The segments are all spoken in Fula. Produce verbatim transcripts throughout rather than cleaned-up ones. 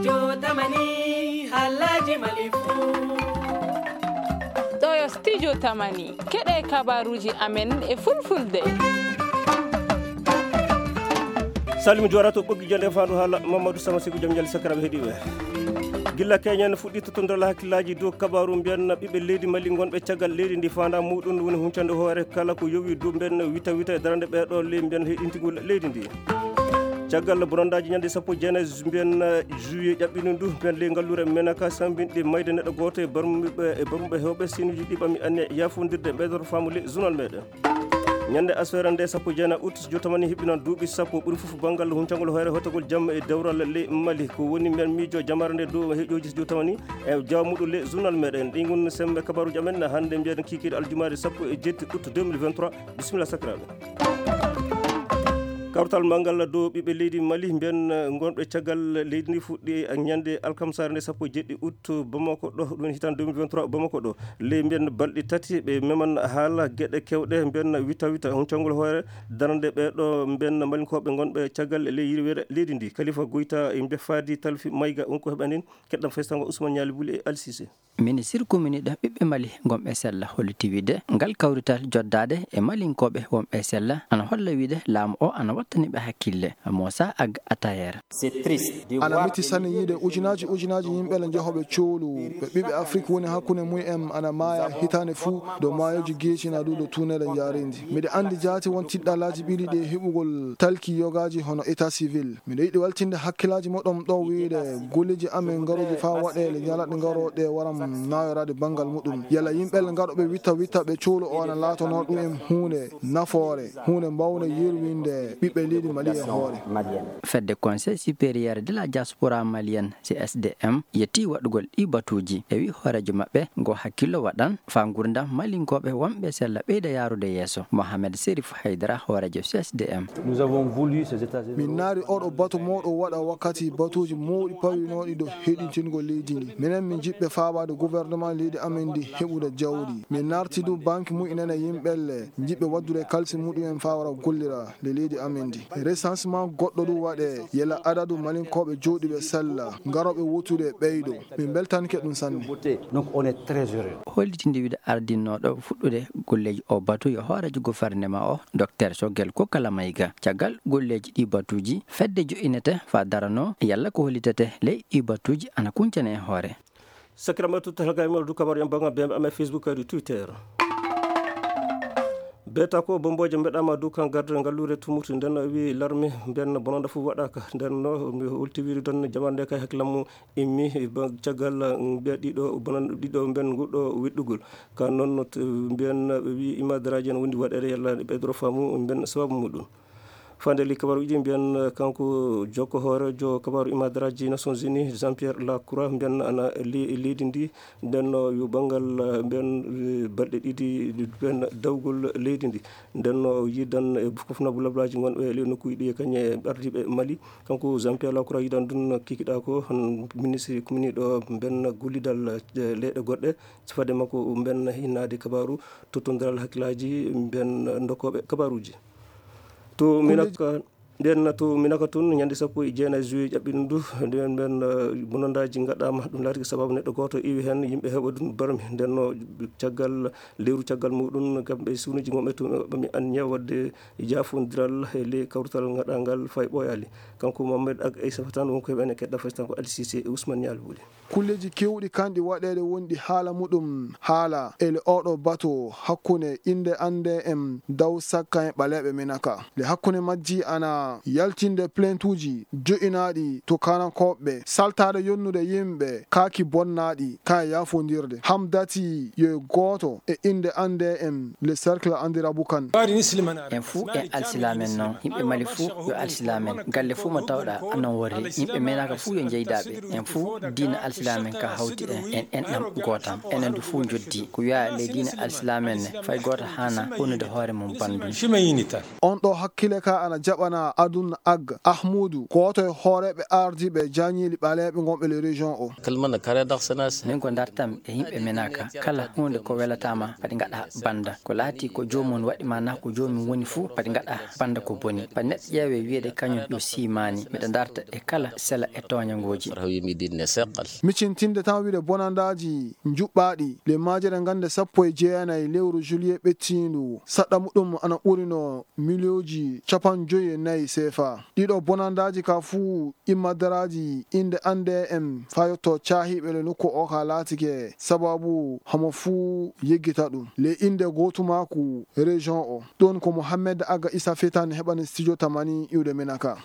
Studio Tamani, halaji Mali fu. Ɗo yo Studio Tamani, keɗe kabaruji amen e fulfulde. Salmi Joorato, ɓoggi jonde fandu haala Mamadou Sama Sigo, jom ñaali sakiraaɓe heɗiiɓe. Gilla keñen fuɗɗi tottondiral hakkillaaji dow kabaaru mbiyan ɓiɓɓe leydi Mali ngonɓe caggal leydi ndi, faandaare muɗum woni huncande hoore kala ko yowi dow mbiyan wita wita e darande ɓeeɗo ley mbiyan heɗintigol leydi ndi. Caggal bonandaaji ñande sappo e jeenayi mbiyan juillet ƴaɓɓini ndu mbiyan ley ngalluure Menaka sambinɗe mayde neɗɗo gooto e barmuɓe, e barmuɓe hewɓe sinuji ɗi ɓami anne yaafondirde ɓeydoro faamu ley journal meɗen. Ñande asfere nde sappo e jeenayi août, Studio Tamani hiɓɓinan duuɓi sappo ɓuri fof banngal huncangol hoore hotogol jamma e dewral ley Mali. Ko woni mbiyan miijo jamare nde dow heƴooji Studio Tamani e jawa muɗum ley journal meɗen. Ɗi ngon sembe kabaruji amen hannde mbiyan kikiiɗe aljumaare sappo e jetti août deux mille vingt-trois. Bisimilla sakiraaɓe. Kawtal manngal dow ɓiɓɓe leydi Mali mbiyan, eh, ngonɓe caggal leydi ndi fuɗɗi e ñande alkamsaare nde sappo e jeɗɗi août Bamako ɗo, ɗum hitande deux mille vingt-trois Bamako ɗo. Ley mbiyan balɗe tati ɓe meman haala geɗe kewɗe mbiyan wita wita huncangol hoore darande ɓeeɗo mbiyan malinkooɓe ngonɓe caggal ley yirwere leydi ndi. Kalifa Goyta e mbe faadi Talfi Mayga, on ko heɓanin keɗɗam faysango Ousmane Ñaali Buli e Alsise. Ministir komini ɗo ɓiɓɓe Mali gonɓe sella holliti wiide ngal kawrital joddaade e malinkooɓe wonɓe sella ana holla wiide laamu o ana wattani ɓe hakkille. Moussa Ag Atayer. Ana miti sanne yiide ujunaaji ujunaaji yimɓe le njehoɓe coolu ɓe ɓiɓɓe Afrik woni hakkunde mum en ana maaya hitaande fuu dow maayoji geeci na ɗuuɗo tuunere njaareendi. Miɗo anndi jaati won tiɗɗalaaji ɓili ɗi e heɓugol talki yogaaji hono état civil. Miɗo yiɗi weltinde hakkillaaji moɗon ɗo wiide golleeji amen ngarooji faa waɗeele ñalaɗe ngarooɗe waram naayoraade banngal muɗum. Yalla yimɓe le ngarooɓe witta witta ɓe coolu o ana laatonoo ɗum en huunde nafoore, huunde mbawnde yerwinde ɓiɓɓe leydi Mali e hoore. Fedde Conseil supérieur de la diaspora malienne, C S D M, yetti waɗugol ɗi batuuji. E wi hooreejo maɓɓe ngo hakkillo waɗan faa ngurdam malinkooɓe wonɓe sella ɓeyda yaarude yeeso. Mohamed Serif Haydara, hooreejo C S D M. Nous avons voulu ces États généraux. Min naari oɗo batu mawɗo waɗa wakkati batuuji mawɗi pawinooɗi dow heɗintingol leydi ndi. Minen min jiɗɓe faabaade gouvernement leydi amen ndi heɓude jawdi. Min naarti du banque mu'inen e yimɓe le jiɗɓe waddude kalisi muɗum en faa wara gollira le leydi amen ndi. Recensement goɗɗo du waɗe yela adadu malinkooɓe jooɗiiɓe sella ngarooɓe wootude ɓeydo. Min mbeltanike ɗum sanne. Donc on est très heureux. Hollitinde wiide ardinooɗo fuɗɗude golleeji o batu yo hooreejo gouvernement o, Docteur Choguel Kokalla Maïga. Caggal golleeji ɗi batuuji, fedde jo'inete faa daranoo yalla ko hollitete ley ɗi batuuji ana kuncane e hoore. Sakiraaɓe, to talgaami du kabaru en banngal B M A Facebook kadi Twitter. Beeta ko Bombooje mbeɗaama dow kan garde ngalluure Tumutu, nden o wi larme mbiyan bononda fof waɗaaka. Nden no mi holti wiide tan jamande kay hakkillam mum immi ba-, caggal mbiya ɗiɗo bonan-, ɗiɗo mbiyan nguɗo weɗɗugol. Ka noon no t-, mbiyan ɓe wi imadaraaji en wondi waɗeede yalla ɓeydoro faamu mbiyan sababu muɗum. Fande li kabaruuji mbiyan, eh, kanko jokko hooreejo kabaaru imadaraaji Nations Unies, Jean Pierre Lacroix, mbiyan ana le-, leydi ndi, nden no yo banngal, eh, mbiyan, eh, balɗe ɗiɗi mbiyan dawgol leydi ndi. Nden no yidan e fof na bulablaaji ngonɓe e le nokkuuji ɗi e kañe ardiiɓe Mali. Kanko Jean Pierre Lacroix yidan ɗum kikiɗa ko hon ministre kuminiiɗo mbiyan gollidal, eh, leyɗe goɗɗe. So fade makko mbiyan hinnaade kabaaru tottondiral hakkillaaji mbiyan ndokkooɓe kabaaruuji. To Minaka, nden to Minaka tun, ñande sappo e jeenayi juillet ƴaɓɓiɗum ndu, nden ɓen, eh, bonondaaji ngaɗaama, ɗum laatike sababu neɗɗo gooto iwi heen, yimɓe heɓa ɗum barmi. Nden no caggal, lewru caggal muɗum, kamɓe suunuuji mumen tun, ɓe ɓami anniya waɗde jaafondiral e ley kawrital ngaɗangal fay ɓooyaali. Kanko Mohamed Ag Aysata tan wonko heɓa ene keɗɗa fasitan ko Ali Cissé e Ousmane Nial Wuli. Kulleeji keewɗi kanɗi waɗeede wonɗi haala muɗum haala ele oɗo bato hakkunde innde annde en daw sakkan e ɓaleeɓe Minaka. Le hakkunde majji ana yaltinde plaintuuji jo'inaaɗi to kanankooɓe, saltaade yonnude yimɓe, kaaki bonnaaɗi, kan e yaafondirde. Hamdati yo e gooto e innde annde en le cercle Andirabu kan. En fuu en alsilaamen non. Yimɓe Mali fuu yo alsilaamen. Galle fuu mo tawɗaa anon worri. Yimɓe Menaka fuu yo njeydaaɓe. En fuu diina alsilaamen ka hawti en. En enɗam gootam. Enen du fuu njoddi. Ko wi'aa ley diina alsilaamen ne, fay gooto haana honnude hoore mum banndum. On ɗo hakkile ka ana jaɓana Adun Ag Ahmudu, gooto e hooreeɓe ardiiɓe jaañiili ɓaleeɓe ngonɓe le région o. Kalmana kare daxsanas. Min ko dartam e yimɓe Menaka. Kala huunde ko welataama, padi ngaɗa banda. Ko laati ko joomum waɗi ma na ko joomum woni fuu, padi ngaɗa banda ko boni. Padi neɗɗo ƴeewe wiyeede kañum yo siimaani. Miɗa darta e kala sela e tooñangooji. Rahawi mi dinne seqal. Micintinde tan wiide bonandaaji njuɓɓaaɗi, le majere ngannde sappo e jeenayi lewru juillet ɓettiindu, saɗɗa muɗum ana ɓurino miliyooji capanɗe joyi e nayi sefa. Ɗiɗo bonandaaji ka fuu immadaraaji innde annde en faa yotto caahiiɓe le nokku o ka laatike sababu hamo fuu yeggita ɗum. Le innde gootumaaku région o. Ɗoon ko Mohamed Aga Issa Fetan heɓani studio tamani iwde Menaka.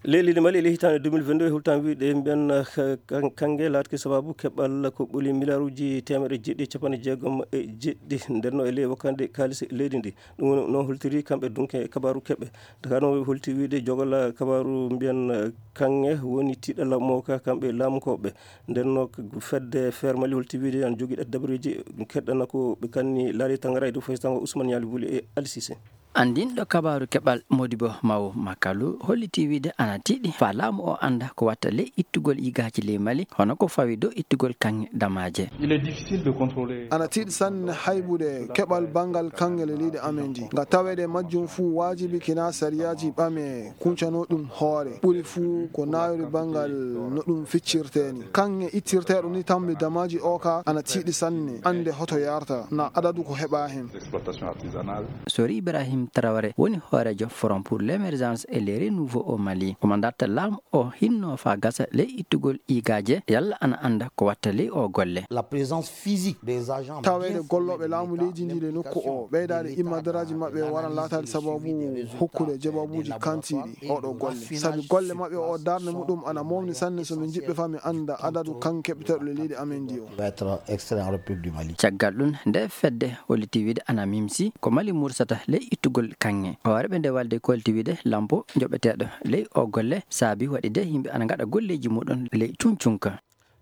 Leydi Mali e ley hitaande deux mille vingt-deux e hultaanɓe wiide mbiyan, eh, kan-, kannge laatke sababu keɓal ko ɓoli miliyaaruuji teemeɗɗe jeeɗiɗi e capanɗe jeegom e jeeɗiɗi ndenno e ley wakkande kaalis leydi ndi. Ɗum woni no holtiri kamɓe dunke kabaaru keɓe. Dakar no holti wiide jogal kabaaru mbiyan, eh, kannge woni tiiɗalla mo ka kamɓe laamukooɓe. Ndenno k-, fedde Feer Mali holti wiide an jogii ɗat dabareeji keɗɗana ko ɓe kanni laari tangara e dow faysango Ousmane Ñaali Buli e Ali Cissé. Anndinɗo kabaaru keɓal Modibo Mawo Makalu holliti wiide ana tiiɗi faa laamu o annda ko watta ley ittugol yigaaji ley Mali, hono ko fawi dow ittugol kaŋŋe damaaje. Il est difficile de contrôler. Ana tiiɗi sanne haybude keɓal banngal kaŋŋe le leydi amen ndi. Nga taweede majjum fuu waajibi kina sariyaaji ɓame kuncano ɗum hoore. Ɓuri fuu ko naayori banngal no ɗum ficcirtee ni. Kaŋŋe ittirteeɗo ni tammi damaaji o ka ana tiiɗi sanne. Annde hoto yarta na adadu ko heɓa hen. Exploitation artisanale. Sori Ibrahim Traoré woni hooreejo Forum pour l'émergence et le renouveau au Mali. Omo darta laamu o hinno faa gasa ley ittugol yigaaje, yalla ana annda ko watta ley o golle. La présence physique des agents. Taweede gollooɓe laamu leydi ndi le nokku o, ɓeydaade immadaraaji maɓɓe waran laataade sababu hokkude jababuuji kantiiɗi oɗo golle. Sabi golle maɓɓe o darnde muɗum ana mawni sanne so min njiɗɓe faa min annda adadu kaŋŋe keɓeteeɗo le leydi amen ndi o. Être extrait en République du Mali. Caggal ɗum, nde fedde holliti wiide ana mimsi ko Mali mursata ley ittugol kaŋŋe. Hooreeɓe nde walde ko holliti wiide lampo joɓeteeɗo ley o golle saabi waɗi de yimɓe ana ngaɗa golleeji muɗum ley cuncunka.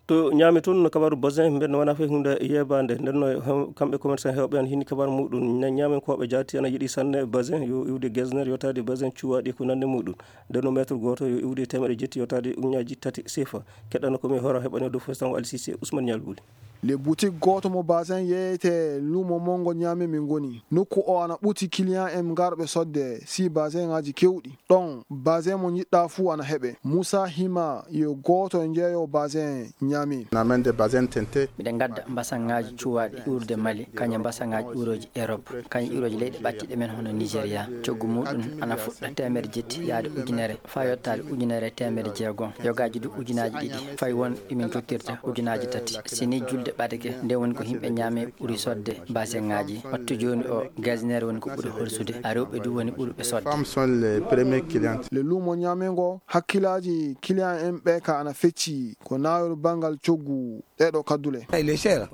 To Ñaame toon, no kabaaru Bazin mben wona fay huunde yeebaande. Nden no hem-, kamɓe commerçant heewɓe an hini kabaaru muɗum. Ña-, Ñaamenkooɓe jaati ana yiɗi sanne Bazin yo iwde Gesner, yotaade Bazin cuwaaɗi ko nande muɗum. Nden no mètre gooto yo iwde teemeɗɗe jetti yotaade ujunnaaji tati sefa. Keɗɗano ko mi hora heɓani dow festango Alsise Ousmane Ñaal Buli. Le boutique gooto mo Bazin yeeyete luumo monngo Ñaame min ngoni. Nokku o ana ɓuti client en ngarɓe sodde si Bazin ŋaaji kewɗi. Ɗon, Bazin mo njiɗɗa fuu ana heɓe. Musa Hima yo gooto e njeeyo Bazin Ñaame. Namen de Bazin tente. Miɗen ngadda mbasaŋaaji cuwaaɗi ƴuurde Mali, kañe mbasaŋaaji ƴuurooji Erop, kañe ƴuurooji leyɗe ɓattiiɗe men hono Nigeria. Coggu muɗum ana fuɗɗa teemeɗɗe jetti yaade ujunere, faa yottaade ujunere e teemeɗɗe jeegom, yogaaji du ujunaaji ɗiɗi, fay won ɗi min tottirta ujunaaji tati. Si ni julde ɓadake, nden woni ko yimɓe Ñaame ɓuri sodde baseŋaaji. Wattu jooni o, Gesner woni ko ɓuri horsude, a rewɓe du woni ɓurɓe sodde. Femmes sont les premières clientes. Le luumo Ñaame ngo, hakkilaaji client en ɓe ka ana fecci, ko naawol banngal coggu ɗeɗo kaddule.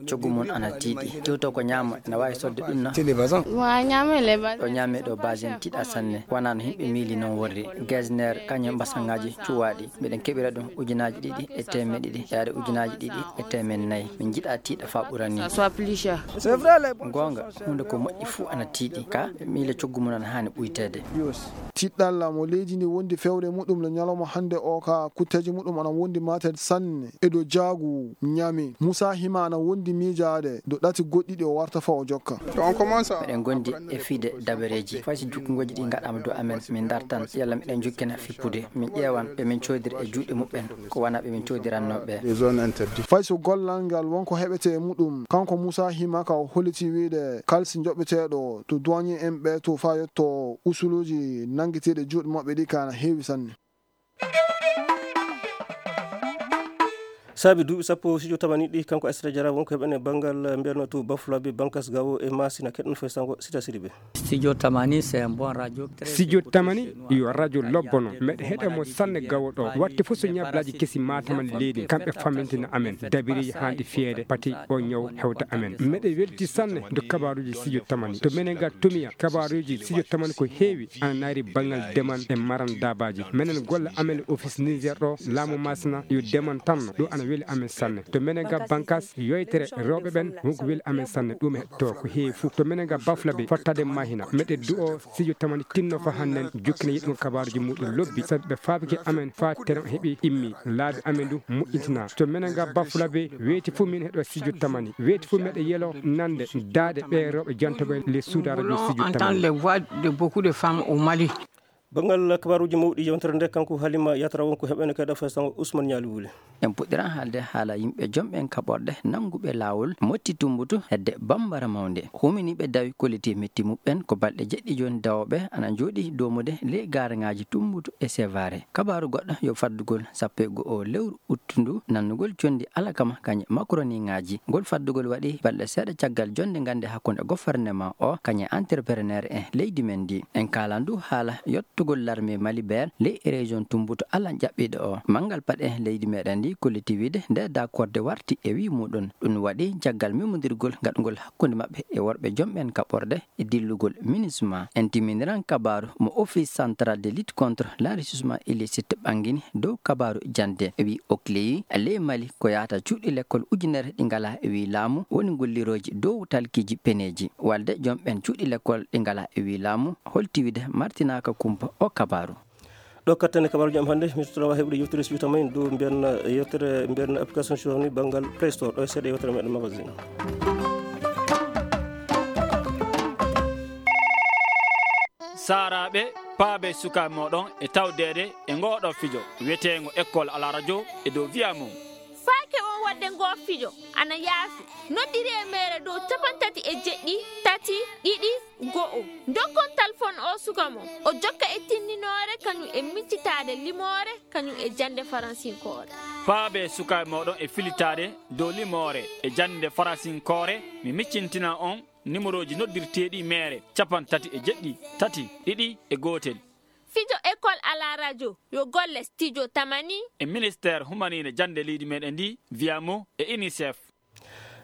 Coggu mum ana tiiɗi. Tewto ko Ñaame, ena waawi sodde ɗum na? Wa Ñaame le ba. Ɗo Ñaame ɗo Bazin tiiɗa sanne. Wonaa no yimɓe miili noon worri. Gesner, kañum mbasaŋaaji cuwaaɗi. Miɗen keɓira ɗum ujunaaji ɗiɗi e teemeɗɗe ɗiɗi, yaade ujunaaji ɗiɗi e teemeɗɗe nayi. Min njiɗa tiiɗa faa ɓura ni. Goonga, huunde ko moƴƴi fuu ana tiiɗi. Ka, miile coggu mum ana haani ɓuyteede. Tiɗɗalla mo leydi ndi wondi fewre muɗum le ñalawma hannde o ka kutteeji muɗum ana wondi mateede sanne e dow jaagu Ñaame. Musa Hima ana wondi miijaade dow ɗati goɗɗi ɗi o warta faa o jokka. Miɗen ngondi e fiide dabareeji. Fay so jukkungooji ɗi ngaɗaama dow amen, min ndartan, yalla miɗen jukkina fippude. Min ƴeewan ɓe min coodiri e juuɗe muɓɓen, ko wonaa ɓe min coodirannoo ɓe. Fay so gollal ngal won ko heɓete e muɗum, kanko Musa Hima ka o holliti wiide kalsi joɓeteeɗo to douanier en ɓe to faa yotto usuluuji nanngeteeɗi juuɗe maɓɓe ɗi ka ana heewi sanne. Saabi duuɓi sappo, studio tamani ɗi, kanko Aissata Diarra, won ko heɓen e banngal, eh, mbiyanno to Bafulabe, Bankas Gawo e Masina, keɗɗon fay sango Sita Sidibe. Studio Tamani, c'est un bon radio. Studio Tamani yo radio lobbo non. Meɗe heɗe mo sanne Gawo ɗo. Watte fof so ñablaaji kesi maataman leydi, kamɓe famintina amen. Dabireeji haanɗi fiyeede, pati o ñaw hewta amen. Meɗe welti sanne ndu kabaaruuji studio Tamani. To menen ga Tomiya, kabaaruuji studio Tamani ko heewi. Ana naari banngal demal e maran daabaaji. Menen golle amen e office Niger ɗo, laamu Masina yo demal tan ɗo ana Weli amen sanne. To menen ga bankas yoytere rewɓe ɓen, wonko weli amen sanne. Ɗum e to ko heewi fof. To menen ga Bafla Bey, fottade mahina. Meɗe du'o studio tamani tinno fa hannen jukkina yiɗum kabaaruji muɗum lobbi. Sabi ɓe faabike amen fa teron heɓi immi. Laabi amen du moƴƴintina. To menen ga Bafla Bey, weeti fof min heɗo studio tamani. Weeti fof meɗe yelo nande daaɗe ɓe rewɓe jantoɓe le suuda radio studio tamani. Entendre les voix de beaucoup de femmes au Mali. Banngal kabaaruuji mawɗi yewtere nde, kanko Halima Yatra, wonko heɓene kadi affaire sango Ousmane Ñaali Wuli. En puɗɗiran haalde haala yimɓe jomɓen kaɓorɗe nannguɓe laawol motti tumbutu hedde Bambara Mawnde. Huminiiɓe dawi kolliti metti muɓɓen ko balɗe jeɗɗi jooni dawooɓe ana njooɗi doomude ley gaaraŋaaji tumbutu e Sevare. Kabaaru goɗɗo yo faddugol sappo e go'o lewru uttundu nannugol conndi alakama kañe makaroniŋaaji. Ngol faddugol waɗi balɗe seeɗa caggal jonnde ngannde hakkunde gofornema o kañe entrepreneur en leydi men ndi. En kaalan du haala yottugol larme Mali Beer ley région Tumbutu Alla jaɓɓiiɗo o. Manngal paɗe leydi meɗen ndi kolliti wiide nde dakorde warti e wii muɗum. Ɗum waɗi caggal memondirgol gaɗugol hakkunde maɓɓe e worɓe jomɓen kaɓorɗe e dillugol MINUSMA. En timminiran kabaaru mo Office Central de Lutte contre l'Enrichissement Illicite ɓanngini dow kabaaru jannde. Wi o kleyi ley Mali ko yahata cuuɗi lekkol ujunere ɗi ngalaa e wi laamu woni gollirooji dow talkiiji peneeji. Walde jom ɓen cuuɗi lekkol ɗi ngalaa e wi laamu holti wiide martinaaka kumpa o kabaaru. Ɗo kattane kabaaruji am hannde, mi tottata heɓude yewtere si wiyata men dow mbiyan yewtere mbiyan application suwani banngal Play Store. Ɗo e seeɗa yewtere meɗen magazine. Saaraaɓe, paabe sukaaɓe mooɗon e tawdeede e ngooɗo fijo wiyeteengo École à la radio e dow Via Mo. Faake on wadde ngoo fijo ana yaafi. Noddiri e meere dow capantati e jeɗɗi, tati, ɗiɗi, go'o. Ndokkon talfon o suka mon. O jokka e tindinoore kañum e miccitaade limoore kañum e jannde faransinkoore. Paabe sukaaɓe mooɗon e filitaade dow limoore e jannde faransinkoore, mi miccintina on nimorooji noddirteeɗi meere capantati e jeɗɗi, tati, ɗiɗi e gootel. Fijo École à la radio yo golle studio tamani. E ministère humaniine jannde leydi meɗen ndi, Via Mo e UNICEF.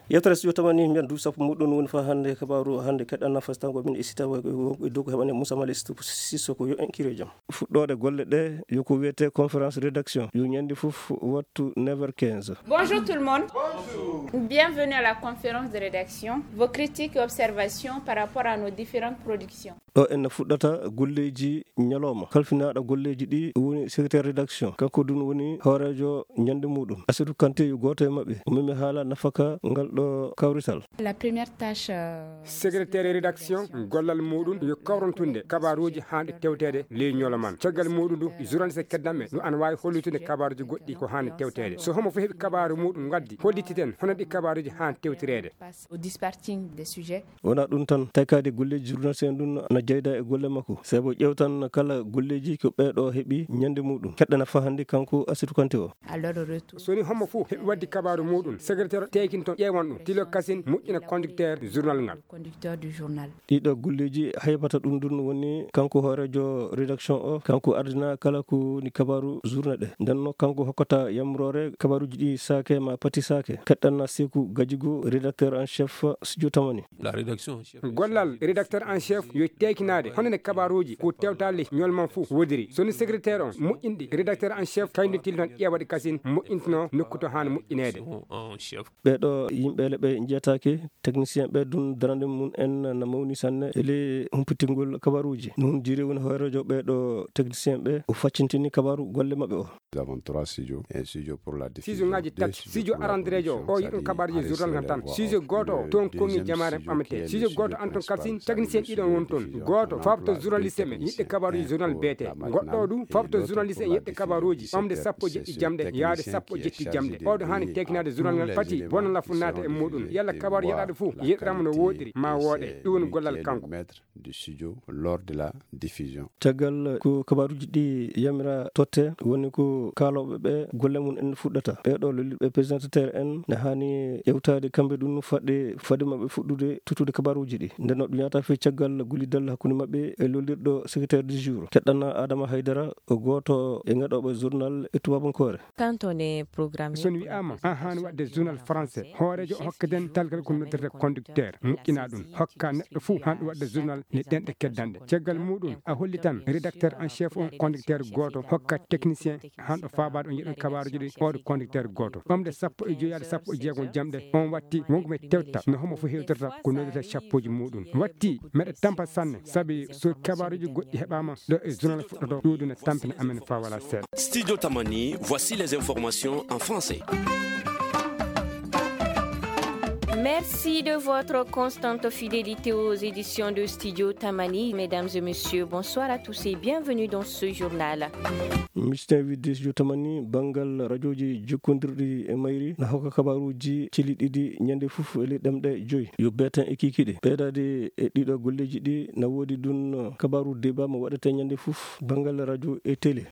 Yewtere studio tamani mbiyan duuɓi sappo muɗum woni fa hannde kabaaru hannde keɗɗan nafas tango min e sita e dow ko heɓane Moussa Mali Sissoko yo en kire jam. Fuɗɗoode golle ɗe yo ko wiyete conférence rédaction yo ñande fof wattu neuf heures quinze. Bonjour tout le monde. Bonjour. Bienvenue à la conférence de rédaction. Vos critiques et observations par rapport à nos différentes productions. Ɗo en fuɗɗata golleeji ñalawma. Kalfinaaɗo golleeji ɗi woni secrétaire rédaction. Kanko dun woni hooreejo ñande muɗum. Asidou Kanté yo gooto e maɓɓe. O memi haala nafaka ngal ɗo kawrital. La première tâche, euh, secrétaire rédaction, gollal muɗum yo kawrantunde kabaaruuji haanɗi tewteede ley ñolo man. Caggal muɗum du, journaliste keddanɓe no ana waawi hollutude kabaaruuji goɗɗi ko haanɗi tewteede. So homo fof heɓi kabaaru muɗum ngaddi, hollititen hono ɗi kabaaruuji haanɗi tewtireede. Au dispatching des sujets. Wonaa ɗum tan, taykaade golleeji journaliste en ɗum na jeyda e golle makko. Sabu ƴeewtan kala golleeji ko ɓeeɗo heɓi ñande muɗum. Keɗɗana faa hannde kanko Asidou Kanté o. À leur retour. So ni hommo fof heɓi wadde kabaaru muɗum, secrétaire tekinto ƴeewan ɗum, tilo kasin moƴƴina conducteur journal ngal. Conducteur du journal. Ɗiɗo golleeji haybata ɗum ɗum woni kanko hooreejo rédaction o, kanko ardina kala ko woni kabaaru journée ɗe. Nden no kanko hokkata yamroore kabaaruuji ɗi saake ma pati saake. Keɗɗanna Seeku Gajigo, rédacteur en chef studio Tamani. La rédaction en chef. Gollal rédacteur en chef yo teekinaade hono ne kabaaruuji ko tewtaali ñolman fof wodiri. So ni secrétaire on moƴƴinɗi, rédacteur en chef kañum tilton ƴeewaɗi kasin moƴƴintino nokku to haani moƴƴineede. En chef. Ɓeeɗo yimɓe le ɓe njiyataake, technicien ɓe dun darande mum en na mawni sanne e le humpitingol kabaaruuji. Nun jiri woni hooreejo ɓeeɗo technicien ɓe o faccintini kabaaru golle maɓɓe o. Nous avons trois studios, un studio pour la diffusion, ngaji deux tati studios studio pour la aranderejo production, o yiɗum c'est-à-dire kabaaruji journal ngal tan. Studio gooto o toon kongi jamaare ɓamete. Studio gooto an toon kasin technicien ɗiɗon won toon. Gooto fabto journaliste men yiɗde kabaaruji journal beete. Goɗɗo o ɗum fabto journaliste en yiɗde kabaaruji ɓamde sappo e jeɗɗi jamɗe yaade sappo e jeɗɗi jamɗe. Oɗo haani tekinaade journal ngal pati bona lafu naata e muɗum. Yalla kabaaru yeɗaaɗo fof yeɗirama no woɗiri ma wooɗe. Ɗum woni gollal kanko. Du studio lors de la diffusion. Caggal ko kabaaruji ɗi yamira totte, woni ko kaalooɓe ɓe golle mum en fuɗɗata. Ɓeeɗo lolliɓe présentateur en ne haani ƴewtaade kamɓe ɗum fadde, fadde maɓɓe fuɗɗude tottude kabaaruji ɗi. Nden no ɗum yaata fii caggal gollidal hakkunde maɓɓe e lollirɗo secrétaire du jour. Keɗɗana Adama Haydara, o gooto e ngaɗooɓe journal e tubabankoore. Quand on est programmé. So on wi'aama an haani waɗde journal français, hooreejo o hokkaten talgal ko noddirta conducteur, moƴƴina ɗum, hokka neɗɗo fof haani waɗde journal ne ɗenɗe keddanɗe. Caggal muɗum, a hollitan rédacteur en chef on conducteur gooto, hokka technicien hanɗo faabaade on njiɗon kabaaruuji ɗi oɗo conducteur gooto. Ɓamde sappo e joy yaade sappo e jeegom jamɗe on watti wonko mi tewta no homo fof hewtirta ko noddata cappuuji muɗum. Watti meɗa tampa sanne sabi so kabaaruuji goɗɗi heɓaama ɗo e journal fuɗɗoto ɗuuɗu ne tampina amen faa wala seeɗa. Studio Tamani, voici les informations en français. Merci de votre constante fidélité aux éditions de Studio Tamani. Mesdames et messieurs, bonsoir à tous et bienvenue dans ce journal. Misten widde Studio Tamani, banngal rajooji jokkondirɗi e mayri na hokka kabaaruuji cili ɗiɗi ñande fof e ley ɗemɗe joyi. Yo beeten e kiikiiɗe. Ɓeydaade e ɗiɗo golleeji ɗi na woodi ɗum kabaaru débat mo waɗata ñande fof banngal rajo e télé.